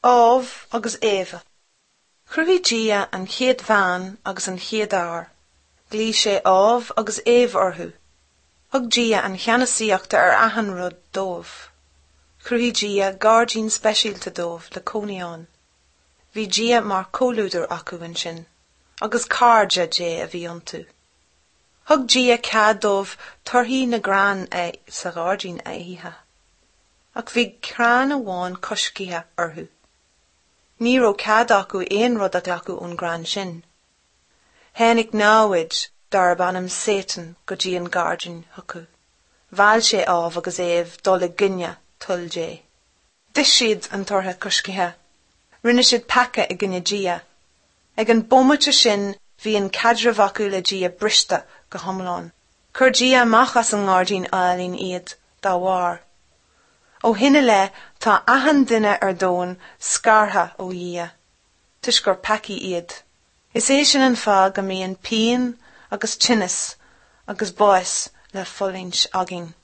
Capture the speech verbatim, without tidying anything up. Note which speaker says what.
Speaker 1: Ádhamh agus Éabha. Chruthaigh Dia an chéad bhean agus an chéad fhear. Ghlaoigh sé Ádhamh agus Éabha orthu. Thug Dia an cheannasaíocht ar achan rud dóibh. Chruthaigh Dia gairdín speisialta dóibh le cónaí ann. Bhí Dia mar chomhluadar acu ansin, agus cairde Dé a bhí iontu. Thug Dia cead dóibh torthaí na gcrann sa ghairdín a ithe. Ach bhí crann amháin coiscthe orthu. Ní raibh cead acu aon rud a ghlacadh ón gcrann sin. Tháinig namhaid darb ainm Satan go dtí an gairdín chucu. Mheall sé Ádhamh agus Éabha dul i gcoinne toil Dé. D'ith siad an tortha coiscthe. Rinne siad peaca i gcoinne Dia. Ag an bomaite sin bhí an caidreamh acu le Dia briste go hiomlán. Chuir Dia amach as an ngairdín álainn iad dá bharr. Ó shin i leith tá achan duine ar domhan scartha ó Dhia, toisc gur peacaí iad. Is é sin an fáth go mbíonn pian agus tinneas agus bás le fulaingt againn.